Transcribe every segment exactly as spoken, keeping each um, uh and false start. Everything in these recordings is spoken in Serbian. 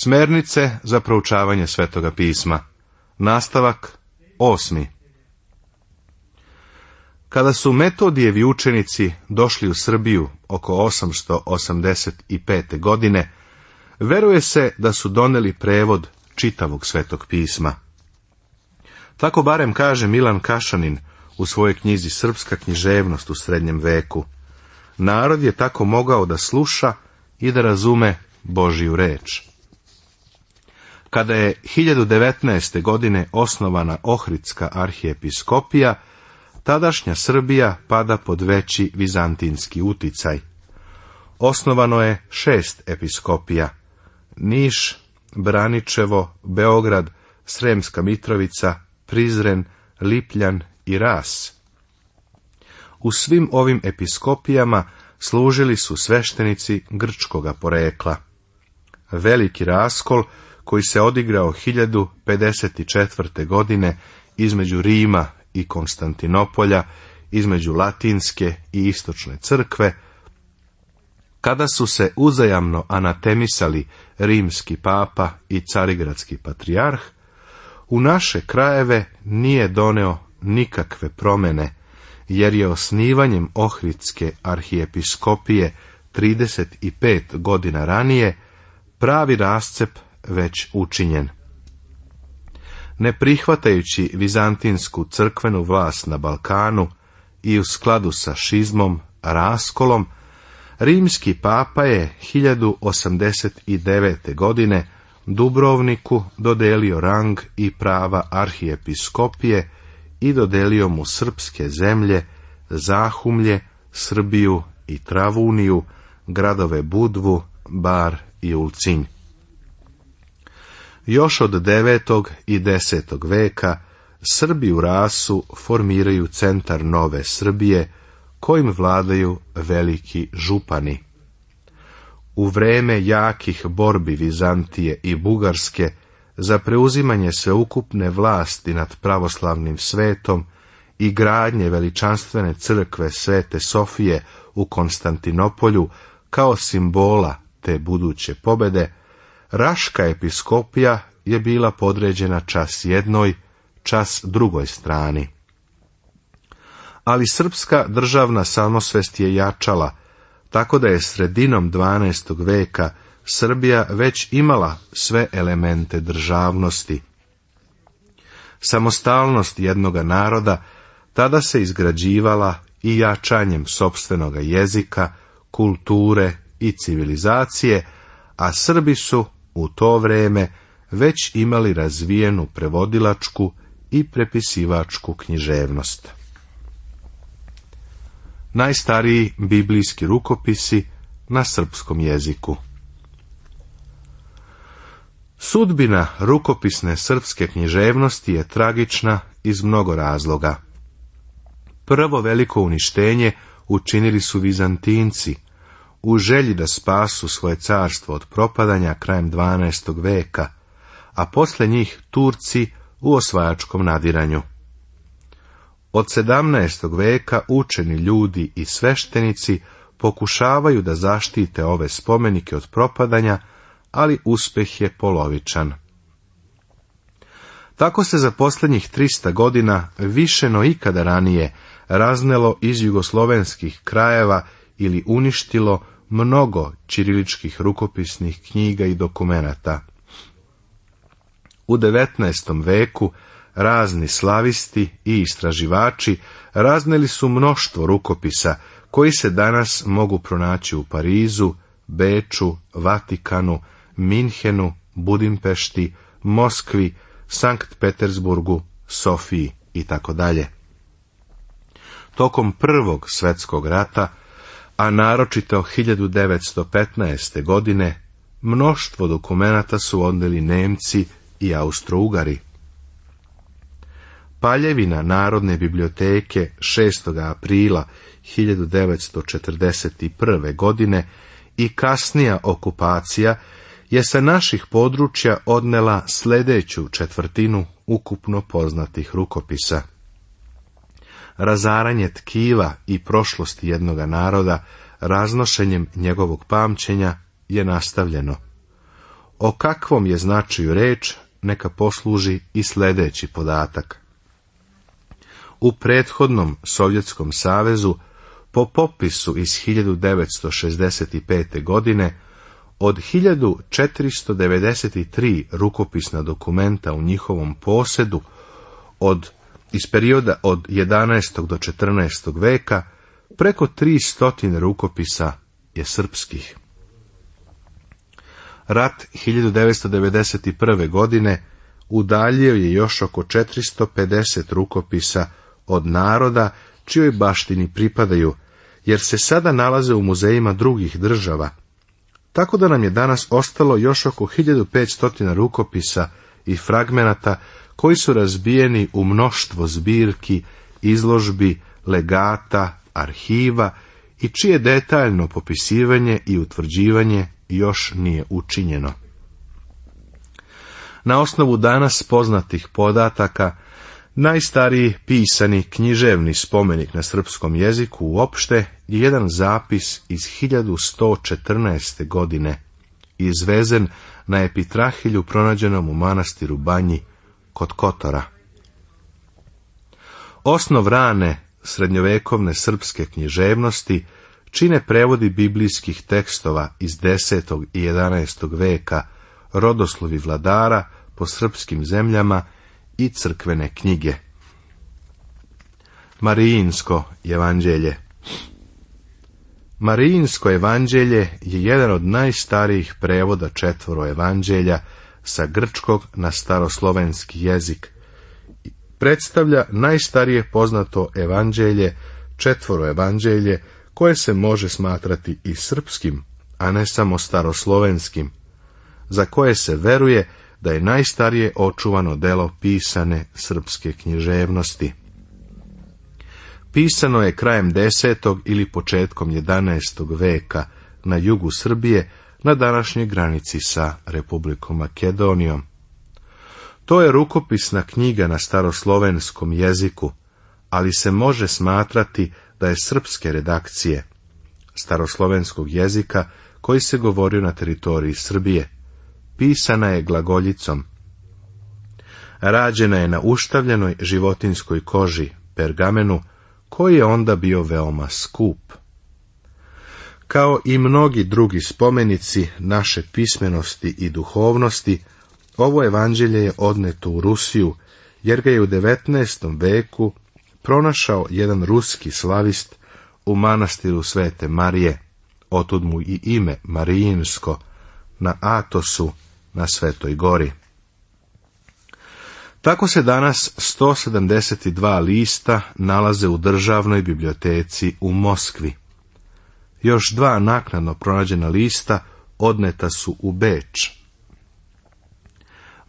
Smernice za proučavanje Svetoga pisma. Nastavak osmi. Kada su Metodijevi učenici došli u Srbiju oko osamsto osamdeset pete. godine, veruje se da su doneli prevod čitavog Svetog pisma. Tako barem kaže Milan Kašanin u svojoj knjizi Srpska književnost u srednjem veku. Narod je tako mogao da sluša i da razume Božiju reč. Kada je hiljadu devetnaeste. godine osnovana Ohridska arhijepiskopija, tadašnja Srbija pada pod veći vizantinski uticaj. Osnovano je šest episkopija: Niš, Braničevo, Beograd, Sremska Mitrovica, Prizren, Lipljan i Ras. U svim ovim episkopijama služili su sveštenici grčkoga porekla. Veliki raskol koji se odigrao hiljadu pedeset četvrte. godine između Rima i Konstantinopolja, između Latinske i Istočne crkve, kada su se uzajamno anatemisali rimski papa i carigradski patrijarh, u naše krajeve nije doneo nikakve promjene, jer je osnivanjem Ohridske arhijepiskopije trideset pet godina ranije pravi rascep već učinjen. Ne prihvatajući vizantinsku crkvenu vlast na Balkanu i u skladu sa šizmom, raskolom, rimski papa je hiljadu osamdeset devete. godine Dubrovniku dodelio rang i prava arhijepiskopije i dodelio mu srpske zemlje, Zahumlje, Srbiju i Travuniju, gradove Budvu, Bar i Ulcinj. Još od devetog i desetog veka Srbi u Rasu formiraju centar Nove Srbije, kojim vladaju veliki župani. U vreme jakih borbi Vizantije i Bugarske za preuzimanje sveukupne vlasti nad pravoslavnim svetom i gradnje veličanstvene crkve Svete Sofije u Konstantinopolju kao simbola te buduće pobede, Raška episkopija je bila podređena čas jednoj, čas drugoj strani. Ali srpska državna samosvest je jačala, tako da je sredinom dvanaestog veka Srbija već imala sve elemente državnosti. Samostalnost jednoga naroda tada se izgrađivala i jačanjem sopstvenoga jezika, kulture i civilizacije, a Srbi su u to vrijeme već imali razvijenu prevodilačku i prepisivačku književnost. Najstariji biblijski rukopisi na srpskom jeziku. Sudbina rukopisne srpske književnosti je tragična iz mnogo razloga. Prvo veliko uništenje učinili su Vizantinci, u želji da spasu svoje carstvo od propadanja krajem dvanaestog veka, a posle njih Turci u osvajačkom nadiranju. Od sedamnaestog veka učeni ljudi i sveštenici pokušavaju da zaštite ove spomenike od propadanja, ali uspeh je polovičan. Tako se za posljednjih trista godina više no ikada ranije raznelo iz jugoslovenskih krajeva ili uništilo mnogo ćiriličkih rukopisnih knjiga i dokumenata. U devetnaestom veku razni slavisti i istraživači razneli su mnoštvo rukopisa koji se danas mogu pronaći u Parizu, Beču, Vatikanu, Minhenu, Budimpešti, Moskvi, Sankt Petersburgu, Sofiji i tako dalje. Tokom Prvog svjetskog rata, a naročito hiljadu devetsto petnaeste. godine, mnoštvo dokumenata su odneli Nemci i Austrougari. Paljevina Narodne biblioteke šestog aprila hiljadu devetsto četrdeset prve. godine i kasnija okupacija je sa naših područja odnela sljedeću četvrtinu ukupno poznatih rukopisa. Razaranje tkiva i prošlosti jednoga naroda raznošenjem njegovog pamćenja je nastavljeno. O kakvom je značaju reč, neka posluži i sljedeći podatak. U prethodnom Sovjetskom savezu, po popisu iz hiljadu devetsto šezdeset pete. godine, od hiljadu četiristo devedeset tri rukopisna dokumenta u njihovom posjedu, od, iz perioda od jedanaestog do četrnaestog veka, preko tristo rukopisa je srpskih. Rat hiljadu devetsto devedeset prve. godine udaljio je još oko četiristo pedeset rukopisa od naroda čijoj baštini pripadaju, jer se sada nalaze u muzejima drugih država, tako da nam je danas ostalo još oko hiljadu petsto rukopisa i fragmenata koji su razbijeni u mnoštvo zbirki, izložbi, legata, arhiva i čije detaljno popisivanje i utvrđivanje još nije učinjeno. Na osnovu danas poznatih podataka, najstariji pisani književni spomenik na srpskom jeziku uopšte je jedan zapis iz hiljadu sto četrnaeste. godine, izvezen na epitrahilju pronađenom u manastiru Banji kod Kotora. Osnov rane srednjovekovne srpske književnosti čine prevodi biblijskih tekstova iz desetog i jedanaestog veka, rodoslovi vladara po srpskim zemljama i crkvene knjige. Marijinsko evanđelje. Marijinsko evanđelje je jedan od najstarijih prevoda četvoro evanđelja sa grčkog na staroslovenski jezik. Predstavlja najstarije poznato evanđelje, četvoro evanđelje, koje se može smatrati i srpskim, a ne samo staroslovenskim, za koje se veruje da je najstarije očuvano delo pisane srpske književnosti. Pisano je krajem desetog ili početkom jedanaestog veka na jugu Srbije, na današnjoj granici sa Republikom Makedonijom. To je rukopisna knjiga na staroslovenskom jeziku, ali se može smatrati da je srpske redakcije staroslovenskog jezika koji se govorio na teritoriji Srbije. Pisana je glagoljicom. Rađena je na uštavljenoj životinskoj koži, pergamenu, koji je onda bio veoma skup. Kao i mnogi drugi spomenici naše pismenosti i duhovnosti, ovo evanđelje je odneto u Rusiju, jer ga je u devetnaestom veku pronašao jedan ruski slavist u manastiru Svete Marije, otud mu i ime Marijinsko, na Atosu, na Svetoj gori. Tako se danas sto sedamdeset dva lista nalaze u državnoj biblioteci u Moskvi. Još dva naknadno pronađena lista odneta su u Beč.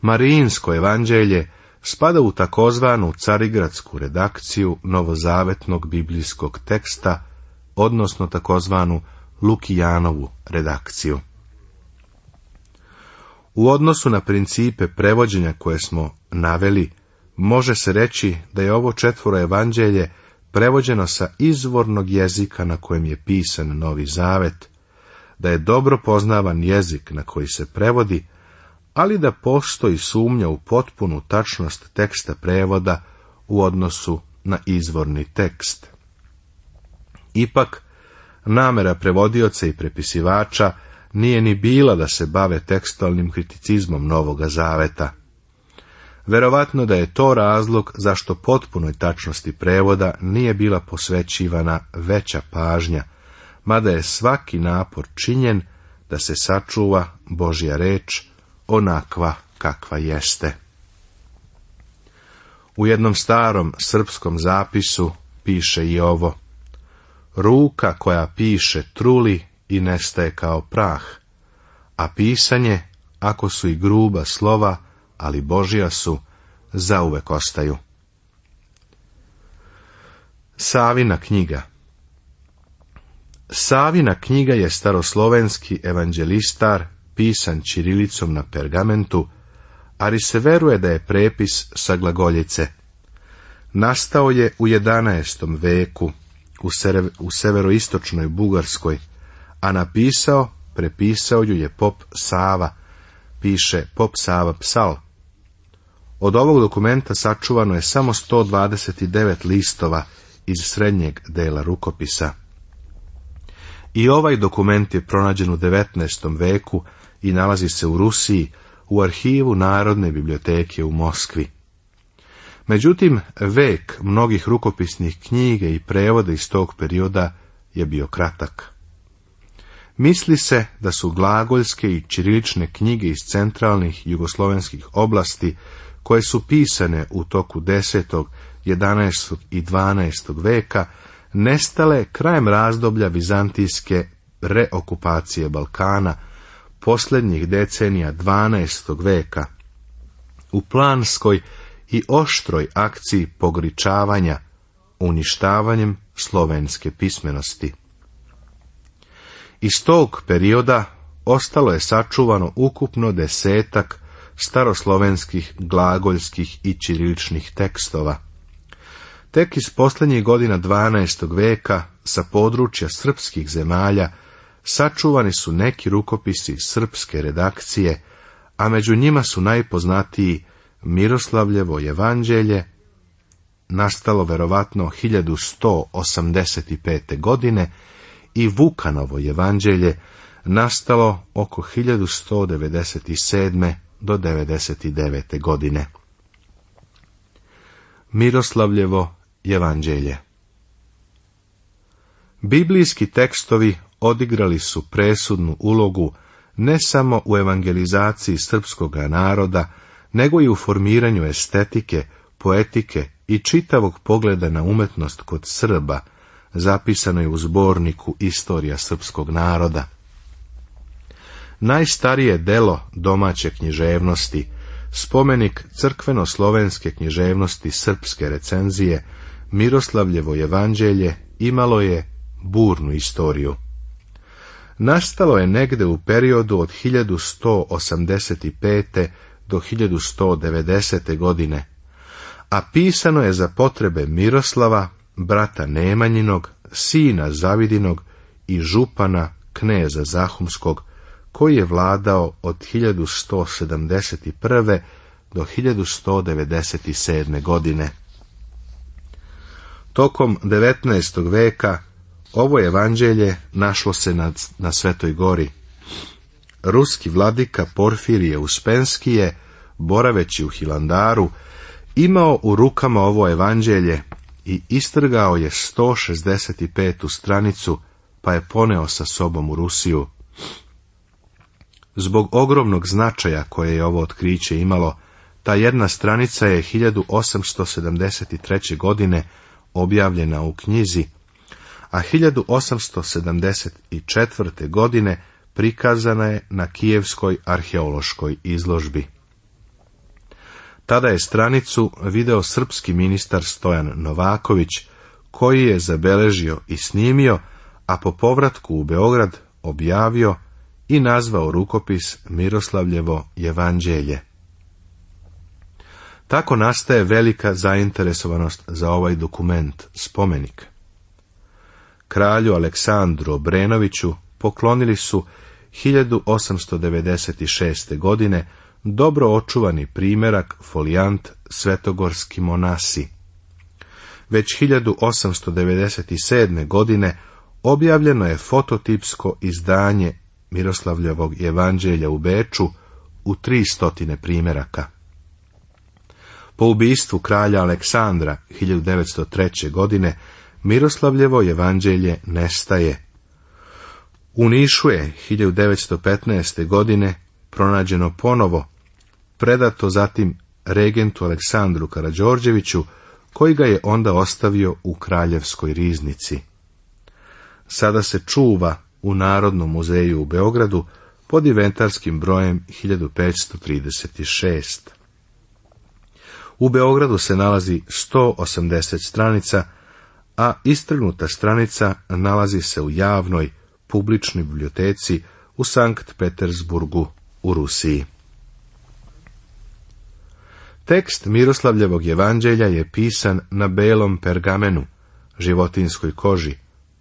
Marijinsko evanđelje spada u takozvanu carigradsku redakciju novozavetnog biblijskog teksta, odnosno takozvanu Lukijanovu redakciju. U odnosu na principe prevođenja koje smo naveli, može se reći da je ovo četvoro evanđelje prevođeno sa izvornog jezika na kojem je pisan Novi Zavet, da je dobro poznavan jezik na koji se prevodi, ali da postoji sumnja u potpunu tačnost teksta prevoda u odnosu na izvorni tekst. Ipak, namera prevodioca i prepisivača nije ni bila da se bave tekstualnim kriticizmom Novoga Zaveta. Verovatno da je to razlog zašto potpunoj tačnosti prevoda nije bila posvećivana veća pažnja, mada je svaki napor činjen da se sačuva Božja reč onakva kakva jeste. U jednom starom srpskom zapisu piše i ovo: ruka koja piše truli i nestaje kao prah, a pisanje, ako su i gruba slova, ali Božja su, zauvek ostaju. Savina knjiga. Savina knjiga je staroslovenski evanđelistar, pisan ćirilicom na pergamentu, ali se veruje da je prepis sa glagoljice. Nastao je u jedanaestom veku u, sere, u severoistočnoj Bugarskoj, a napisao, prepisao ju je pop Sava, piše pop Sava Psal. Od ovog dokumenta sačuvano je samo sto dvadeset devet listova iz srednjeg dela rukopisa. I ovaj dokument je pronađen u devetnaestom veku i nalazi se u Rusiji u arhivu Narodne biblioteke u Moskvi. Međutim, vek mnogih rukopisnih knjiga i prevoda iz tog perioda je bio kratak. Misli se da su glagoljske i ćirilične knjige iz centralnih jugoslovenskih oblasti, koje su pisane u toku desetog, jedanaestog i dvanaestog veka, nestale krajem razdoblja vizantijske reokupacije Balkana, posljednjih decenija dvanaestog veka, u planskoj i oštroj akciji pogričavanja, uništavanjem slovenske pismenosti. Iz tog perioda ostalo je sačuvano ukupno desetak staroslovenskih, glagoljskih i ćiriličnih tekstova. Tek iz posljednjih godina dvanaestog veka sa područja srpskih zemalja sačuvani su neki rukopisi srpske redakcije, a među njima su najpoznatiji Miroslavljevo evanđelje, nastalo verovatno hiljadu sto osamdeset pete. godine, i Vukanovo evanđelje, nastalo oko hiljadu sto devedeset sedme. do devedeset devete. godine. Miroslavljevo evanđelje. Biblijski tekstovi odigrali su presudnu ulogu ne samo u evangelizaciji srpskoga naroda, nego i u formiranju estetike, poetike i čitavog pogleda na umetnost kod Srba, zapisanoj u zborniku Istorija srpskog naroda. Najstarije delo domaće književnosti, spomenik crkveno-slovenske književnosti srpske recenzije, Miroslavljevo evanđelje, imalo je burnu istoriju. Nastalo je negde u periodu od hiljadu sto osamdeset pete. do hiljadu sto devedesete. godine, a pisano je za potrebe Miroslava, brata Nemanjinog, sina Zavidinog i župana kneza Zahumskog, koji je vladao od hiljadu sto sedamdeset prve. do hiljadu sto devedeset sedme. godine. Tokom devetnaestog veka ovo evanđelje našlo se na, na Svetoj gori. Ruski vladika Porfirije Uspenski je, boraveći u Hilandaru, imao u rukama ovo evanđelje i istrgao je sto šezdeset petu stranicu, pa je poneo sa sobom u Rusiju. Zbog ogromnog značaja koje je ovo otkriće imalo, ta jedna stranica je hiljadu osamsto sedamdeset treće. godine objavljena u knjizi, a hiljadu osamsto sedamdeset četvrte. godine prikazana je na Kijevskoj arheološkoj izložbi. Tada je stranicu video srpski ministar Stojan Novaković, koji je zabeležio i snimio, a po povratku u Beograd objavio i nazvao rukopis Miroslavljevo evanđelje. Tako nastaje velika zainteresovanost za ovaj dokument, spomenik. Kralju Aleksandru Obrenoviću poklonili su hiljadu osamsto devedeset šeste. godine dobro očuvani primjerak folijant Svetogorski monasi. Već hiljadu osamsto devedeset sedme. godine objavljeno je fototipsko izdanje Miroslavljevog evanđelja u Beču u tri stotine primjeraka. Po ubistvu kralja Aleksandra hiljadu devetsto treće. godine Miroslavljevo evanđelje nestaje. U Nišu je hiljadu devetsto petnaeste. godine pronađeno ponovo, predato zatim regentu Aleksandru Karađorđeviću, koji ga je onda ostavio u Kraljevskoj riznici. Sada se čuva u Narodnom muzeju u Beogradu pod inventarskim brojem hiljadu petsto trideset šest. U Beogradu se nalazi sto osamdeset stranica, a istrgnuta stranica nalazi se u javnoj publičnoj biblioteci u Sankt Petersburgu u Rusiji. Tekst Miroslavljevog evanđelja je pisan na belom pergamenu, životinskoj koži,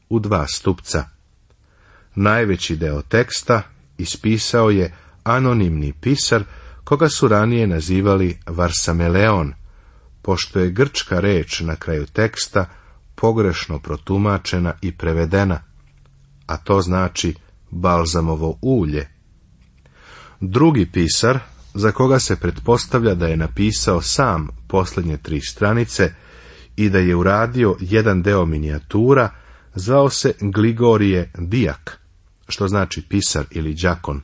u dva stupca. Najveći deo teksta ispisao je anonimni pisar, koga su ranije nazivali Varsameleon, pošto je grčka reč na kraju teksta pogrešno protumačena i prevedena, a to znači balzamovo ulje. Drugi pisar, za koga se pretpostavlja da je napisao sam posljednje tri stranice i da je uradio jedan deo minijatura, zvao se Gligorije Dijak, što znači pisar ili đakon.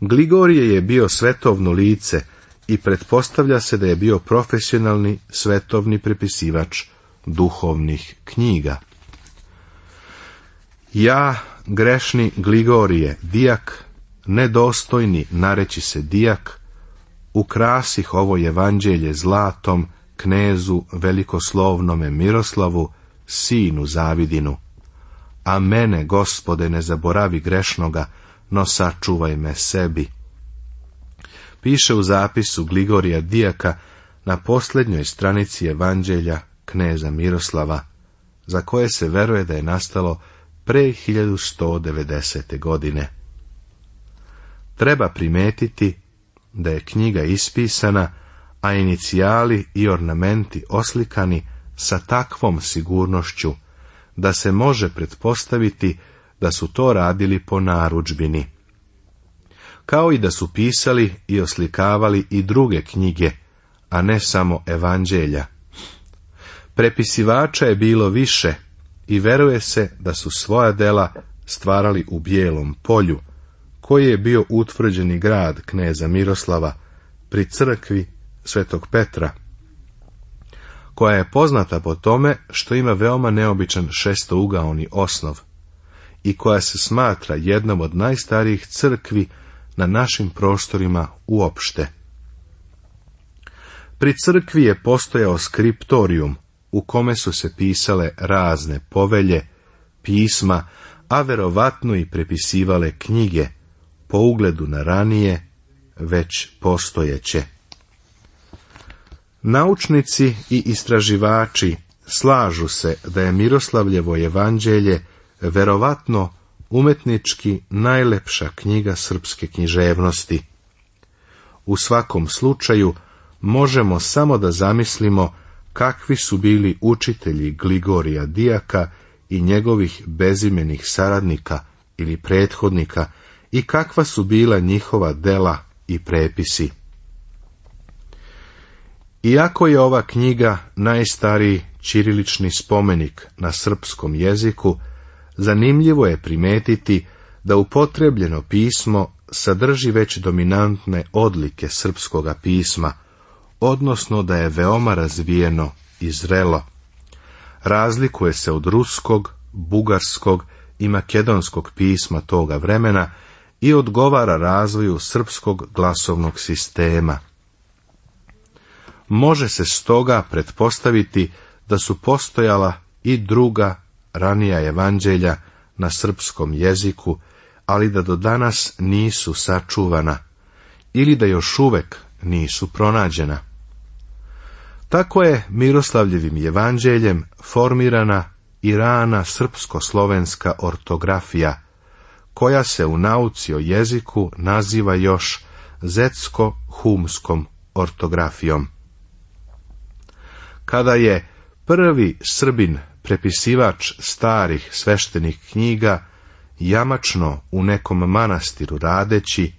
Gligorije je bio svetovno lice i pretpostavlja se da je bio profesionalni svetovni prepisivač duhovnih knjiga. Ja, grešni Gligorije Dijak, nedostojni nareći se dijak, ukrasih ovo evanđelje zlatom knezu velikoslovnome Miroslavu, sinu Zavidinu. A mene, Gospode, ne zaboravi grešnoga, no sačuvaj me sebi. Piše u zapisu Gligorija Dijaka na posljednjoj stranici evanđelja kneza Miroslava, za koje se veruje da je nastalo pre hiljadu sto devedesete. godine. Treba primetiti da je knjiga ispisana, a inicijali i ornamenti oslikani sa takvom sigurnošću, da se može pretpostaviti da su to radili po narudžbini, kao i da su pisali i oslikavali i druge knjige, a ne samo evanđelja. Prepisivača je bilo više i veruje se da su svoja dela stvarali u Bijelom polju, koji je bio utvrđeni grad kneza Miroslava pri crkvi Svetog Petra, koja je poznata po tome što ima veoma neobičan šestougaoni osnov i koja se smatra jednom od najstarijih crkvi na našim prostorima uopšte. Pri crkvi je postojao skriptorijum u kome su se pisale razne povelje, pisma, a verovatno i prepisivale knjige po ugledu na ranije, već postojeće. Naučnici i istraživači slažu se da je Miroslavljevo evanđelje verovatno umetnički najlepša knjiga srpske književnosti. U svakom slučaju možemo samo da zamislimo kakvi su bili učitelji Gligorija Dijaka i njegovih bezimenih saradnika ili prethodnika i kakva su bila njihova dela i prepisi. Iako je ova knjiga najstariji ćirilični spomenik na srpskom jeziku, zanimljivo je primetiti da upotrebljeno pismo sadrži već dominantne odlike srpskoga pisma, odnosno da je veoma razvijeno i zrelo. Razlikuje se od ruskog, bugarskog i makedonskog pisma toga vremena i odgovara razvoju srpskog glasovnog sistema. Može se stoga pretpostaviti da su postojala i druga ranija evanđelja na srpskom jeziku, ali da do danas nisu sačuvana ili da još uvek nisu pronađena. Tako je Miroslavljevim evanđeljem formirana i rana srpsko-slovenska ortografija, koja se u nauci o jeziku naziva još zetsko-humskom ortografijom. Kada je prvi Srbin prepisivač starih sveštenih knjiga, jamačno u nekom manastiru radeći,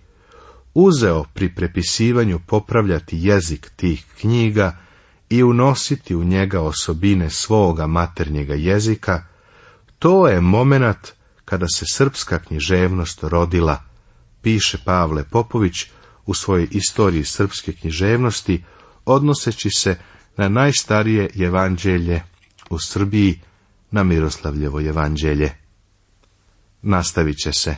uzeo pri prepisivanju popravljati jezik tih knjiga i unositi u njega osobine svoga maternjega jezika, to je momenat kada se srpska književnost rodila, piše Pavle Popović u svojoj istoriji srpske književnosti, odnoseći se na najstarije evanđelje u Srbiji, na Miroslavljevo evanđelje. Nastavit će se.